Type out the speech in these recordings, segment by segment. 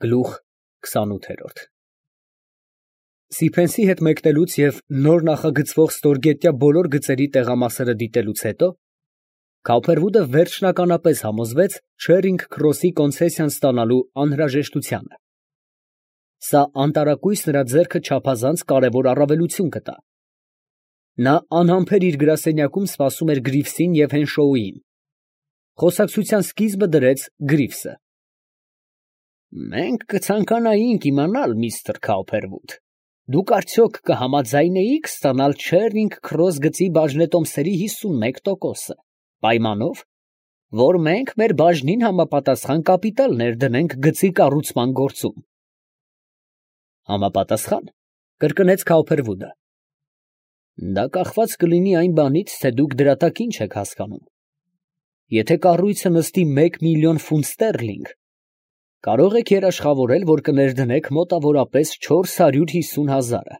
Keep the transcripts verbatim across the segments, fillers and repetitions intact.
Գլուխ քսանութ Սիփենսի հետ մեկնելուց և նոր նախագծվող ստորգետնյա բոլոր գծերի տեղամասերը դիտելուց հետո Քաուփերվուդը վերջնականապես համոզվեց Չերինգ Քրոսի կոնցեսիան ստանալու անհրաժեշտությանը. սա անտարակույս նրա ձեռքը չափազանց կարևոր առավելություն կտա։ Նա անհամբեր իր գրասենյակում սպասում էր Գրիվսին և Հենշոուին։ Խոսակցության սկիզբը դրեց Գրիվսը. Մենք կցանկանայինք իմանալ, միստր Քաուփերվուդ, դուք արդյոք կհամաձայնեիք ստանալ Չերինգ Քրոս գծի բաժնետոմսերի հիսունմեկ տոկոսը, պայմանով, որ մենք մեր բաժնին համապատասխան կապիտալ ներդնենք գծի կառուցման գործում։ Համապատասխան, կրկնեց Քաուփերվուդը։ Դա կախված կլինի այն բանից, թե դուք դրատակին չեք հասկանում։ Եթե կառույցը նստի մեկ միլիոն ֆունտ ստերլինգ, կարող եք երաշխավորել, որ կներդնեք մոտավորապես չորս հարյուր հիսուն հազարը։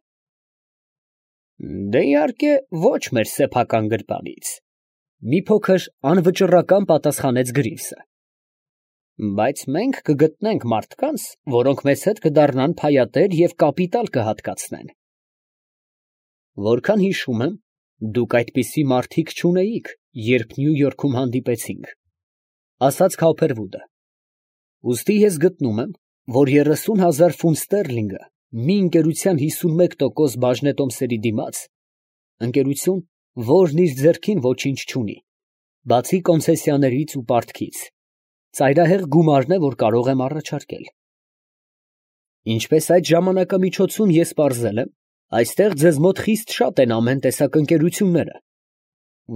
Դե իհարկե ոչ մեր սեփական գրպանից, մի փոքր անվճռական պատասխանեց Գրիվսը։ Բայց մենք կգտնենք մարդկանց, որոնք մեզ հետ կդառնան փայատեր և կապիտալ կհատկացնեն։ Որքան հիշում եմ, դուք այդպիսի մարդիկ չունեիք, երբ Նյու Յորքում հանդիպեցինք, ասաց Քաուփերվուդը։ Ուստի ես գտնում եմ, որ երեսուն հազար ֆունտ ստերլինգը մի ընկերության հիսունմեկ տոկոս բաժնետոմսերի դիմաց, ընկերություն, որն իր ձեռքին ոչինչ չունի, բացի կոնցեսիաներից ու պարտքից, ծայրահեղ գումարն է, որ կարող եմ առաջարկել։ Ինչպես այդ ժամանակամիջոցում ես պարզել եմ, այստեղ ձեզ մոտ խիստ շատ են ամեն տեսակ ընկերությունները,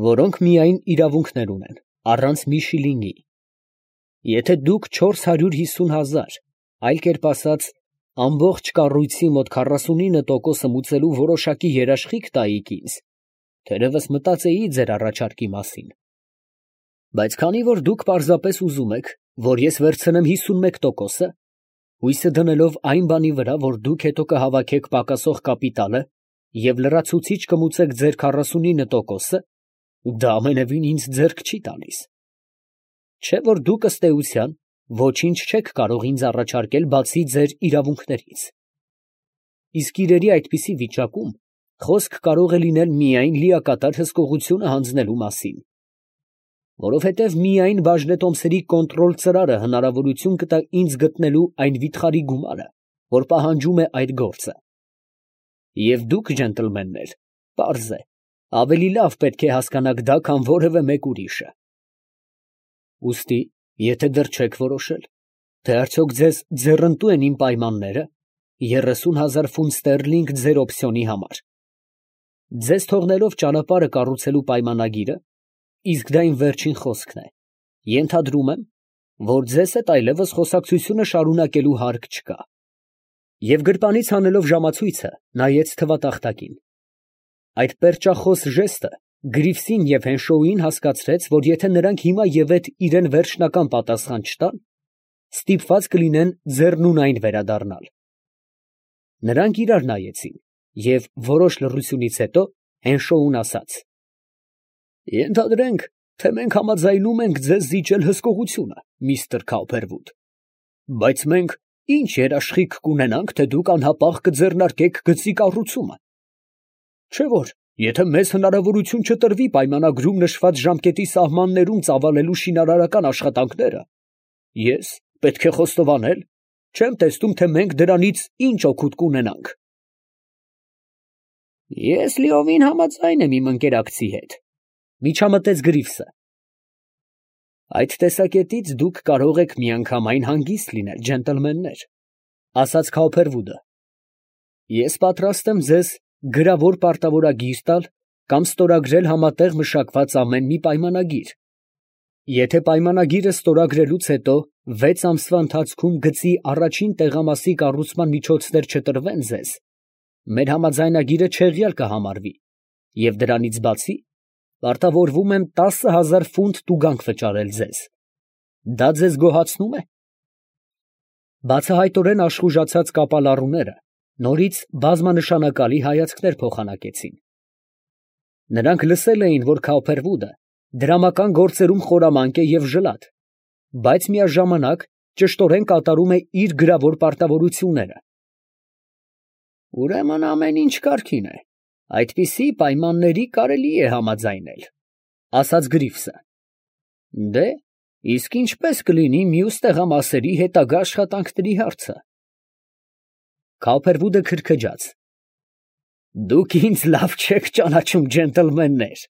որոնք միայն իրավունքներ ունեն, առանց մի շիլինգի։ Եթե դուք չորս հարյուր հիսուն հազար, այլ կերպ ասած, ամբողջ կառույցի մոտ քառասունինը տոկոսը մուծելու որոշակի երաշխիք տայիք ինձ, թերևս մտածեի ձեր առաջարկի մասին։ Բայց քանի որ դուք պարզապես ուզում եք, որ ես վերցնեմ հիսունմեկ տոկոսը, հույսը դնելով այն բանի վրա, որ դուք հետո կհավաքեք պակասող կապիտալը և լրացուցիչ կմուծեք ձեր քառասունինը տոկոսը, դա ամենևին ինձ ձեռք չի տալիս։ Չէ՞ որ դուք ըստ էության ոչինչ չեք կարող ինձ առաջարկել, բացի ձեր իրավունքներից։ Իսկ իրերի այդպիսի վիճակում խոսք կարող է լինել միայն լիակատար հսկողությունը հանձնելու մասին։ Որովհետև միայն բաժնետոմսերի կոնտրոլ ծրարը հնարավորություն կտա ինձ գտնելու այն վիթխարի գումարը, որ պահանջում է այդ գործը։ Եվ դուք, ջենտլմեններ, պարզ է, ավելի լավ պետք է հասկանաք դա, քան որևէ մեկ ուրիշը։ Ուստի, եթե դեռ չեք որոշել, թե արդյոք ձեզ ձեռնտու են իմ պայմանները, երեսուն հազար ֆունտ ստերլինգ ձեր օպցիոնի համար, ձեզ թողնելով ճանապարհը կառուցելու պայմանագիրը, իսկ դա իմ վերջին խոսքն է, ենթադրում եմ, որ ձեզ հետ այլևս խոսակցությունը շարունակելու հարկ չկա։ Եվ գրպանից հանելով ժամացույցը, նայեց թվատախտակին։ Այդ պերճախոս ժեստը Գրիվսին և Հենշոուին հասկացրեց, որ եթե նրանք հիմա ևեթ իրան վերջնական պատասխան չտան, ստիպված կլինեն ձեռնունայն վերադառնալ։ Նրանք իրար նայեցին, և որոշ լռությունից հետո Հենշոուն ասաց. Ենթադրենք, թե մենք համաձայնում ենք ձեզ զիջել հսկողությունը, միստր Քաուփերվուդ, բայց մենք ինչ երաշխիք կունենանք, թե դուք անհապաղ կձեռնարկեք գծի կառուցումը։ Չէ՞ որ, եթե մեզ հնարավորություն չտրվի պայմանագրում նշված ժամկետի սահմաններում ծավալելու շինարարական աշխատանքները, ես, պետք է խոստովանել, չեմ տեսնում, թե մենք դրանից ինչ օգուտ կունենանք։ Ես լիովին համաձայն եմ իմ ընկերակցի հետ, միջամտեց Գրիվսը։ Այդ տեսակետից դուք կարող եք միանգամայն հանգիստ լինել, ջենտլմեններ, ասաց Քաուփերվուդը։ Ես պատրաստ եմ ձեզ գրավոր պարտավորագիր տալ կամ ստորագրել համատեղ մշակված ամեն մի պայմանագիր։ Եթե պայմանագիրը ստորագրելուց հետո վեց ամսվա ընթացքում գծի առաջին տեղամասի կառուցման միջոցներ չտրվեն ձեզ, մեր համաձայնագիրը չեղյալ կհամարվի, և դրանից բացի, պարտավորվում եմ տասը հազար ֆունտ տուգանք վճարել ձեզ։ Դա ձեզ գոհացնու՞մ է։ Բացահայտորեն աշխուժացած կապալառուները նորից բազմանշանակալի հայացքներ փոխանակեցին։ Նրանք լսել էին, որ Քաուփերվուդը դրամական գործերում խորամանկ է և ժլատ, բայց միաժամանակ ճշտորեն կատարում է իր գրավոր պարտավորությունները։ Ուրեմն ամեն ինչ կարգին է, այդպիսի պայմանների կարելի է համաձայնել, ասաց Գրիվսը։ Դե, իսկ ինչպես կլինի մյուս տեղամասերի հետագա աշխատանքների հարցը։ Քոուփերվուդը քրքջաց։ Դուք ինձ լավ չեք ճանաչում, ջենտլմեններ։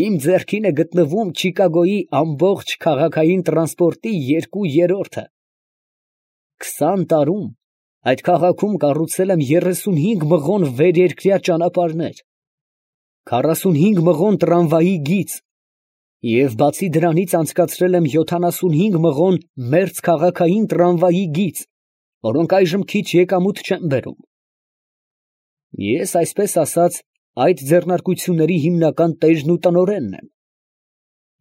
Իմ ձեռքին է գտնվում Չիկագոյի ամբողջ քաղաքային տրանսպորտի երկու երրորդը։ Քսան տարում այդ քաղաքում կառուցել եմ երեսունհինգ մղոն վերերկրյա ճանապարհներ, քառասունհինգ մղոն տրամվայի գիծ և բացի դրանից անցկացրել եմ յոթանասունհինգ մղոն մերձքաղաքային տրամվայի գիծ, որոնք այժմ քիչ եկամուտ չեն բերում։ Ես, այսպես ասած, այդ ձեռնարկությունների հիմնական տերն ու տնօրենն եմ,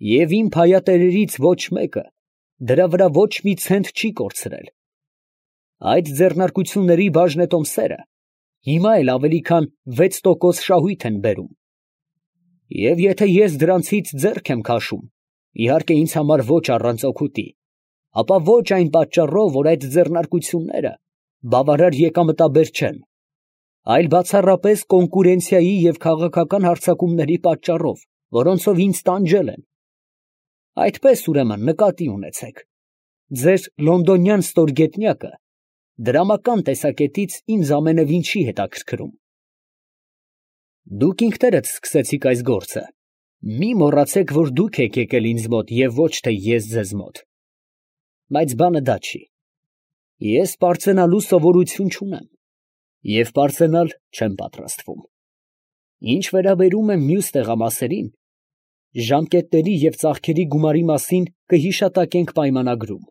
և իմ փայատերերից ոչ մեկը դրա վրա ոչ մի ցենտ չի կորցրել։ Այդ ձեռնարկությունների բաժնետոմսերը հիմա էլ ավելի քան վեց տոկոս շահույթ են բերում։ Եվ եթե ես դրանցից ձեռք եմ քաշում, իհարկե ինձ համար ոչ առանց օգուտի, ապա ոչ այն պատճառով, որ այդ ձեռնարկությունները բավարար եկամտաբեր չեն, այլ բացառապես կոնկուրենցիայի և քաղաքական հարձակումների պատճառով, որոնցով ինձ տանջել են։ Այդպես ուրեմն նկատի ունեցեք, ձեր լոնդոնյան ստորգետնյակը դրամական տեսակետից ինձ ամենևին չի հետաքրքրում։ Դուք ինքներդ սկսեցիք այս գործը, մի մոռացեք, որ դուք եք եկել ինձ մոտ և ոչ թե ես ձեզ մոտ։ Բայց բանը դա չի։ Ես պարծենալու սովորություն չունեմ և պարծենալ չեմ պատրաստվում։ Ինչ վերաբերում է մյուս տեղամասերին, ժամկետների և ծախքերի գումարի մասին կհիշատակենք պայմանագրում,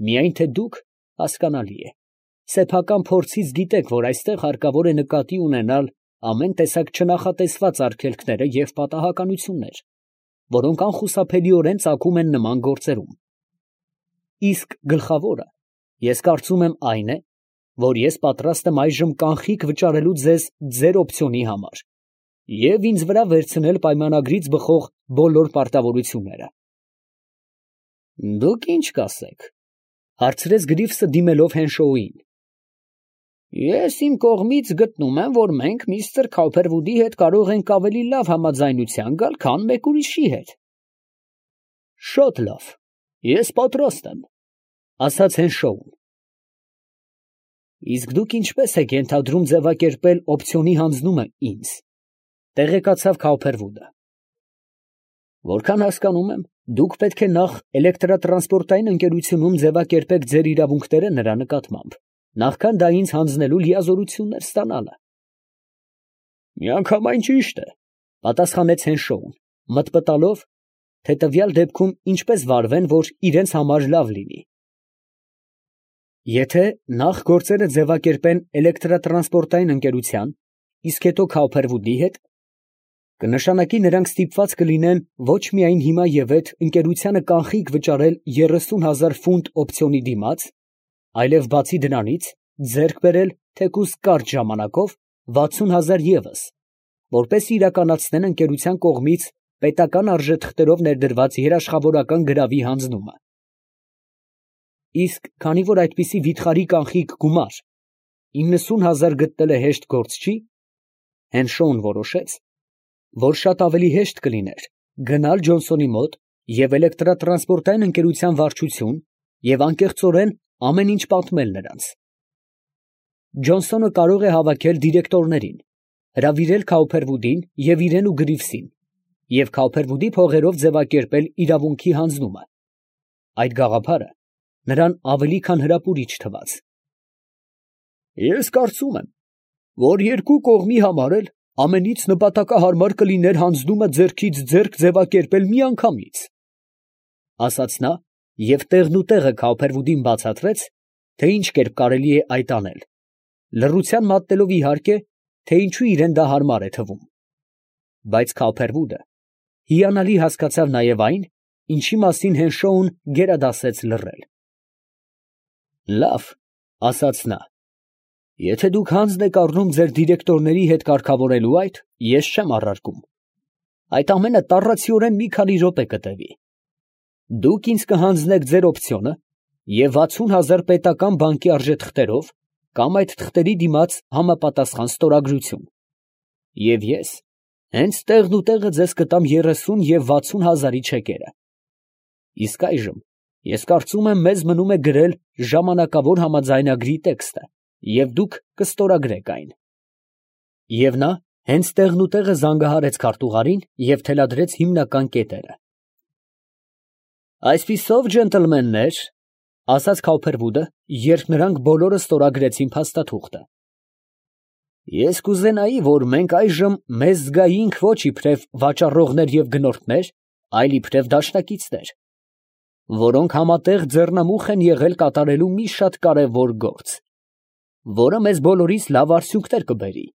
միայն թե դուք, հասկանալի է, սեփական փորձից գիտեք, որ այստեղ հարկավոր է նկատի ունենալ ամեն տեսակ չնախատեսված արգելքները և պատահականություններ, որոնք անխուսափելիորեն ծագում են նման գործերում։ Իսկ գլխավորը, ես կարծում եմ, այն է, որ ես պատրաստ եմ այժմ կանխիկ վճարելու ձեզ ձեր օպցիոնի համար և ինձ վրա վերցնել պայմանագրից բխող բոլոր պարտավորությունները։ Դուք ի՞նչ կասեք, հարցրեց Գրիվսը դիմելով Հենշոուին։ Ես իմ կողմից գտնում եմ, որ մենք միստր Քոուփերվուդի հետ կարող ենք ավելի լավ համաձայնության գալ, քան մեկ ուրիշի հետ։ Շատ լավ, ես պատրաստ եմ, ասաց Հենշոուն։ Իսկ դուք ինչպես եք ենթադրում ձևակերպել օպցիոնի հանձնումը ինձ, տեղեկացավ Քոուփերվուդը։ Որքան հասկանում եմ, դուք պետք է նախ էլեկտրատրանսպորտային ընկերությունում ձևակերպեք ձեր իրավունքները նրա նկատմամբ, նախքան դա ինձ հանձնելու լիազորություններ ստանալը։ Միանգամայն ճիշտ է, պատասխանեց Հենշոուն, մտմտալով, թե տվյալ դեպքում ինչպես վարվեն, որ իրենց համար լավ լինի։ Եթե նախ գործերը ձևակերպեն էլեկտրատրանսպորտային ընկերության, իսկ հետո Քոուփերվուդի հետ, կնշանակի նրանք ստիպված կլինեն ոչ միայն հիմա և այդ ընկերությանը կանխիկ վճարել երեսուն հազար ֆունտ օպցիոնի դիմաց, այլև բացի դրանից ձեռք բերել թեկուզ կարճ ժամանակով վաթսուն հազար ևս, որպես իրականացնեն ընկերության կողմից պետական արժեթղթերով ներդրված երաշխավորական գրավի հանձնումը։ Իսկ քանի որ այդպիսի վիթխարի կանխիկ գումար իննսուն հազար գտնելը հեշտ գործ չի, Հենշոուն որոշեց, որ շատ ավելի հեշտ կլիներ գնալ Ջոնսոնի մոտ և էլեկտրատրանսպորտային ընկերության վարչություն և անկեղծորեն ամեն ինչ պատմել նրանց։ Ջոնսոնը կարող է հավաքել դիրեկտորներին, հրավիրել Քոուփերվուդին և իրեն ու Գրիվսին և Քոուփերվուդի փողերով ձևակերպել իրավունքի հանձնումը։ Այդ գաղափարը նրան ավելի քան հրապուրիչ թվաց։ Ես կարծում եմ, որ երկու կողմի համար էլ ամենից նպատակահարմար կլիներ հանձնումը ձեռքից ձեռք ձևակերպել միանգամից, ասաց նա և տեղնուտեղը Քոուփերվուդին բացատրեց, թե ինչ կերպ կարելի է այդ անել, լռության մատնելով իհարկե, թե ինչու իրան դա հարմար է թվում։ Բայց Քոուփերվուդը հիանալի հասկացավ նաև այն, ինչի մասին Հենշոուն գերադասեց լռել։ Լավ, ասաց նա, եթե դուք հանձն եք առնում ձեր դիրեկտորների հետ կարգավորելու այդ, ես չեմ առարկում։ Այդ ամենը տառացիորեն մի քանի րոպե կտևի։ Դուք ինձ կհանձնեք ձեր օպցիոնը և վաթսուն հազար պետական բանկի արժեթղթերով կամ այդ թղթերի դիմաց համապատասխան ստորագրություն, և ես հենց տեղն ու տեղը ձեզ կտամ երեսուն և վաթսուն հազարի չեկերը։ Իսկ այժմ ես կարծում եմ մեզ մնում է գրել ժամանակավոր համաձայնագրի տեքստը, և դուք կստորագրեք այն։ Եվ նա հենց տեղն ու տեղը զանգահարեց քարտուղարին և թելադրեց հիմնական կետերը։ Այսպիսով, ջենտլմեններ, ֊ ասաց Քաուփերվուդը, երբ նրանք բոլորը ստորագրեցին փաստաթուղթը, ես կուզենայի, որ մենք այժմ մեզ զգայինք ոչ իբրև վաճառողներ և գնորդներ, այլ իբրև դաշնակիցներ, որոնք համատեղ ձեռնամուխ են եղել կատարելու մի շատ կարևոր գործ, որը մեզ բոլորիս լավ արդյունքներ կբերի։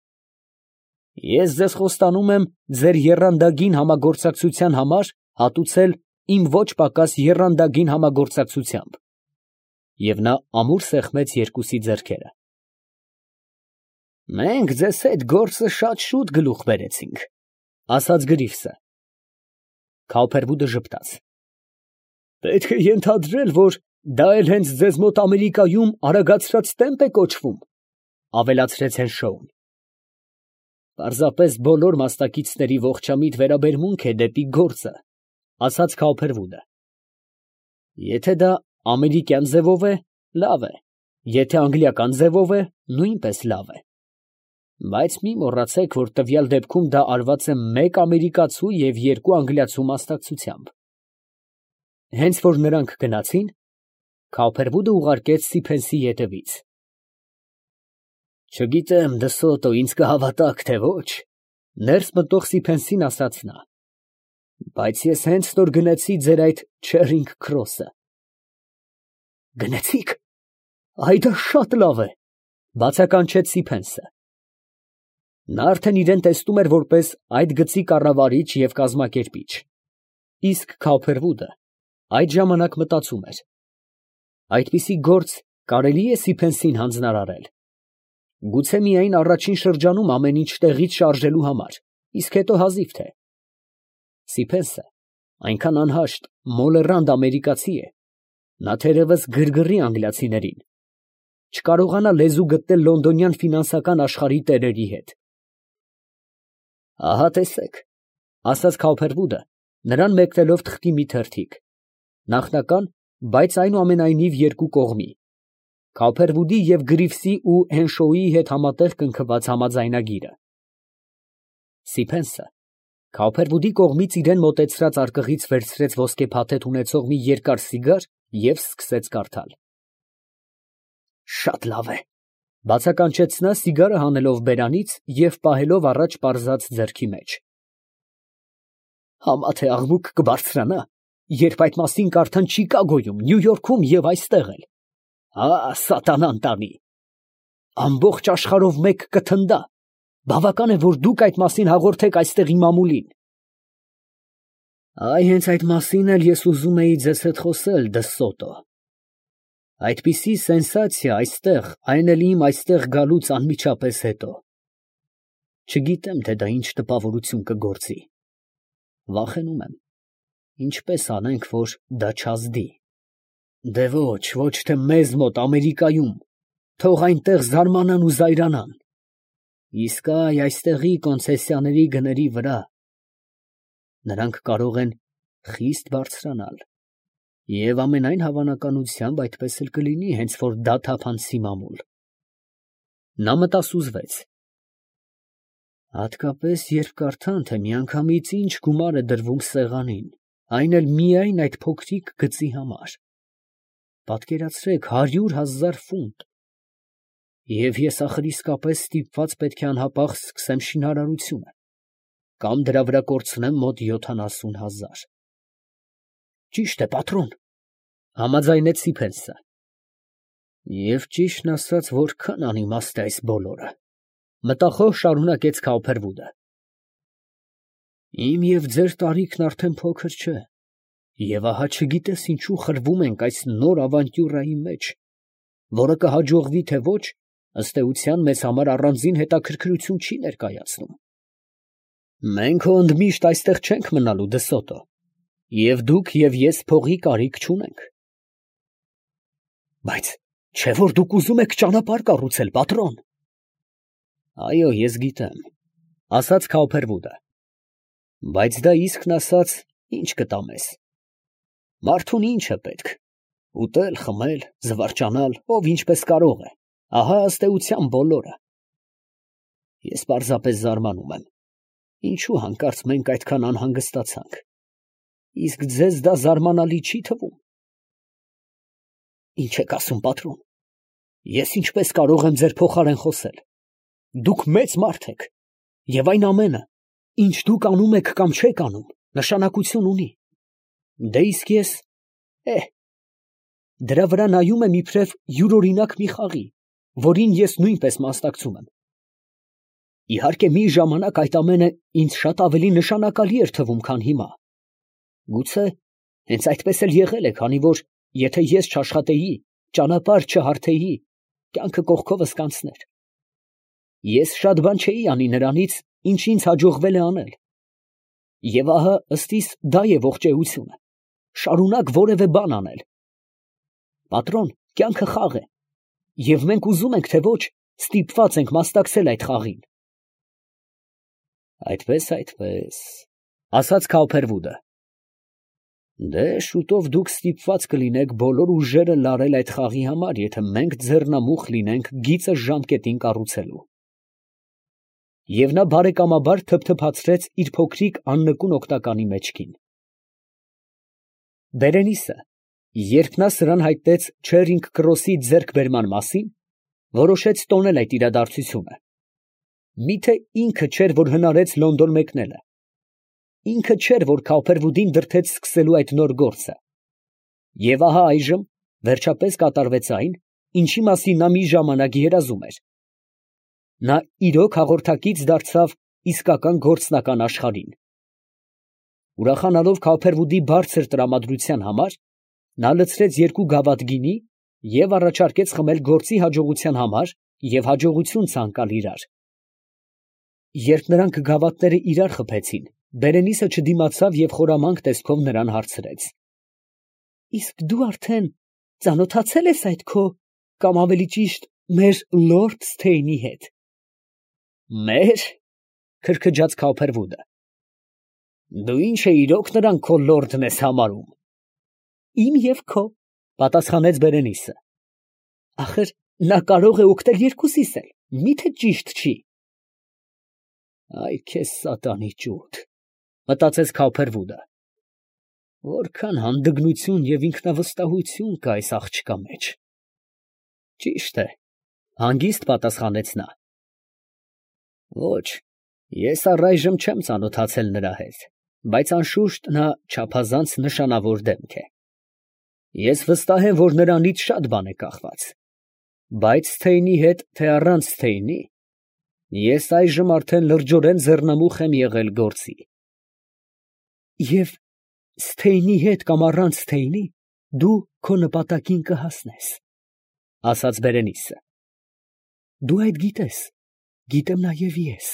Ես ձեզ խոստանում եմ ձեր եռանդագին համագործակցության համար հատուցել իմ ոչ պակաս եռանդագին համագործակցությամբ, և նա ամուր սեղմեց երկուսի ձեռքերը։ Մենք ձեզ հետ գործը շատ շուտ գլուխ բերեցինք, ֊ ասաց Գրիվսը։ Քաուփերվուդը ժպտաց։ Պետք է ենթադրել, որ դա էլ հենց ձեզ մոտ Ամերիկայում արագացրած տեմպ է կոչվում, ֊ ավելացրեց Հենշոուն։ Պարզապես բոլոր մասնակիցների ողջամիտ վերաբերմունք է դեպի գործը, ֊ ասաց Քաուփերվուդը։ Եթե դա ամերիկյան ձևով է, լավ է, եթե անգլիական ձևով է, նույնպես լավ է։ Բայց մի մոռացեք, որ տվյալ դեպքում դա արված է մեկ ամերիկացու և երկու անգլիացու մասնակցությամբ։ Հենց որ նրանք գնացին, Քաուփերվուդը ուղարկեց Սիփենսի ետևից։ Չգիտեմ, Դսոտո, ինձ կհավատաք, թե ոչ, ներս մտող Սիփենսին ասաց նա, բայց ես հենց նոր գնեցի ձեր այդ Չերինգ Քրոսը։ Գնեցի՞ք, այ դա շատ լավ է, ֊ բացականչեց Սիփենսը։ Նա արդեն իրան տեսնում էր որպես այդ գծի կառավարիչ և կազմակերպիչ, իսկ Քաուփերվուդը այդ ժամանակ մտածում էր. այդպիսի գործ կարելի է Սիփենսին հանձնարարել, գուցե միայն առաջին շրջանում ամեն ինչ տեղից շարժելու համար, իսկ հետո հազիվ թե։ Սիփենսը այնքան անհաշտ, մոլեռանդ ամերիկացի է, նա թերևս գրգռի անգլիացիներին, չկարողանա լեզու գտնել լոնդոնյան ֆինանսական աշխարհի տերերի հետ։ Ահա տեսեք, ֊ ասաց Քաուփերվուդը, նրան մեկնելով թղթի մի թերթիկ, նախնական, բայց այնուամենայնիվ երկու կողմի, Քաուփերվուդի և Գրիվսի ու Հենշոուի հետ համատեղ կնքված համաձայնագիրը։ Սիփենսը Քաուփերվուդի կողմից իրան մոտեցրած արկղից վերցրեց ոսկե փաթեթ ունեցող մի երկար սիգար և սկսեց կարդալ։ Շատ լավ է, ֊ բացականչեց նա, սիգարը հանելով բերանից և պահելով առաջ պարզած ձեռքի մեջ։ Համա թե աղմուկ կբարձրանա, երբ այդ մասին կարդան Չիկագոյում, Նյու Յորքում և այստեղ էլ։ Հա, սատանան տանի։ Ամբողջ աշխարհով մեկ կթնդա, բավական է, որ դուք այդ մասին հաղորդեք այստեղի մամուլին։ Այ հենց այդ մասին էլ ես ուզում էի ձեզ հետ խոսել, Դսոտո։ Այդպիսի սենսացիա այստեղ, այն էլ իմ այստեղ գալուց անմիջապես հետո։ Չգիտեմ, թե դա ինչ տպավորություն կգործի։ Վախենում եմ, ինչպես անենք, որ դա չազդի։ Դե ոչ, ոչ թե մեզ մոտ Ամերիկայում, թող այնտեղ զարմանան ու զայրանան։ Իսկ այ այստեղի կոնցեսիաների գների վրա նրանք կարող են խիստ բարձրանալ, և ամենայն հավանականությամբ այդպես էլ կլինի, հենց որ դա թափանցի մամուլ։ Նա մտասուզվեց։ Հատկապես, երբ կարդան, թե միանգամից ինչ գումար է դրվում սեղանին, այն էլ միայն այդ փոքրիկ գծի համար։ Պատկերացրեք, հարյուր հազար ֆունտ։ Եվ ես ախր իսկապես ստիպված պետք է անհապաղ սկսեմ շինարարությունը, կամ դրա վրա կորցնեմ մոտ յոթանասուն հազար։ Ճիշտ է, պատրոն, ֊ համաձայնեց Սիփենսը։ Եվ ճիշտն ասած, որքան անիմաստ է այս բոլորը, ֊ մտախոհ շարունակեց Քաուփերվուդը։ Իմ և ձեր տարիքն արդեն փոքր չէ, և ահա չգիտես ինչու խրվում ենք այս նոր ավանտյուրայի մեջ, որը կհաջողվի թե ոչ, ըստ էության մեզ համար առանձին հետաքրքրություն չի ներկայացնում։ Մենք հո ընդմիշտ այստեղ չենք մնալու, Դսոտո, և դուք և ես փողի կարիք չունենք։ Բայց չէ՞ որ դուք ուզում եք ճանապարհ կառուցել, պատրոն։ Այո, ես գիտեմ, ասաց Քաուփերվուդը, բայց դա իսկն ասած ինչ կտա մեզ։ Մարդուն ինչ է պետք, ուտել, խմել, զվարճանալ, ով ինչպես կարող է, ահա ըստ էության բոլորը։ Ես պարզապես զարմանում եմ, ինչու հանկարծ մենք այդքան անհանգստացանք, իսկ ձեզ դա զարմանալի չի թվում։ Ինչ եք ասում, պատրոն, ես ինչպես կարող եմ ձեր փոխարեն խոսել։ Դուք մեծ մարդ եք, և այն ամենը, ինչ դուք անում եք կամ չեք անում, նշանակություն ունի։ Դե իսկ ես, է, դրա վրա նայում եմ իբրև յուրօրինակ մի խաղի, որին ես նույնպես մասնակցում եմ։ Իհարկե մի ժամանակ այդ ամենը ինձ շատ ավելի նշանակալի էր թվում, քան հիմա։ Գուցե հենց այդպես էլ եղել է, քանի որ եթե ես չաշխատեի, ճանապարհ չհարթեի, կյանքը կողքովս կանցներ։ Ես շատ բան չէի անի նրանից, ինչ ինձ հաջողվել է անել։ Եվ ահա ըստիս դա է ողջեությունը, շարունակ որևէ բան անել։ Պատրոն, կյանքը խաղ է, և մենք ուզում ենք, թե ոչ, ստիպված ենք մասնակցել այդ խաղին։ Այդպես, այդպես, ասաց Քաուփերվուդը։ Դե շուտով դուք ստիպված կլինեք բոլոր ուժերը լարել այդ խաղի համար, եթե մենք ձեռնամուխ լինենք գիծը ժամկետին կառուցելու։ Եվ նա բարեկամաբար թփթփացրեց իր փոքրիկ աննկուն օգնականի մեջքին։ Բերենիսը, երբ նա սրան հայտնեց Չերինգ Քրոսի ձեռքբերման մասին, որոշեց տոնել այդ իրադարձությունը։ Միթե ինքը չէր, որ հնարեց Լոնդոն մեկնելը։ Ինքը չէր, որ Քաուփերվուդին դրդեց սկսելու այդ նոր գործը։ Եվ ահա այժմ վերջապես կատարվեց այն, ինչի մասին նա մի ժամանակ երազում էր։ Նա իրոք հաղորդակից դարձավ իսկական գործնական աշխարհին։ Ուրախանալով Քաուփերվուդի բարձր տրամադրության համար, նա լցրեց երկու գավաթ գինի և առաջարկեց խմել գործի հաջողության համար և հաջողություն ցանկալ իրար։ Երբ նրանք գավաթները իրար խփեցին, Բերենիսը չդիմացավ և խորամանկ տեսքով նրան հարցրեց. Իսկ դու արդեն ծանոթացել ես այդ քո, կամ ավելի ճիշտ, մեր լորդ Սթեյնի հետ։ Մեր, քրքջաց Քաուփերվուդը։ Դու ինչ է իրոք նրան քո լորդն ես համարում։ Իմ և քո, պատասխանեց Բերենիսը։ Ախր նա կարող է օգտել երկուսիս էլ, մի՞թե ճիշտ չի։ Այ քեզ սատանի ճուտ, մտածեց Քաուփերվուդը։ Որքան հանդգնություն և ինքնավստահություն կա այս աղջկա մեջ։ Ճիշտ է, հանգիստ պատասխանեց նա։ Ոչ, ես առայժմ չեմ ծանոթացել նրա հետ, բայց անշուշտ նա չափազանց նշանավոր դեմք է։ Ես վստահ եմ, որ նրանից շատ բան է կախված, բայց Սթեյնի հետ, թե առանց Սթեյնի, ես այժմ արդեն լրջորեն ձեռնամուխ եմ եղել գործի։ Եվ Սթեյնի հետ կամ առանց Սթեյնի, դու քո նպատակին կհասնես, ասաց Բերենիսը։ Դու այդ գիտես, գիտեմ նաև ես,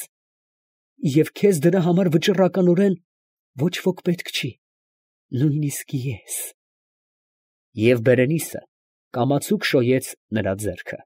և քեզ դրա համար վճռականորեն ոչ ոք պետք չի, նույնիսկ ես։ Եվ Բերենիսը կամացուկ շոյեց նրա ձեռքը։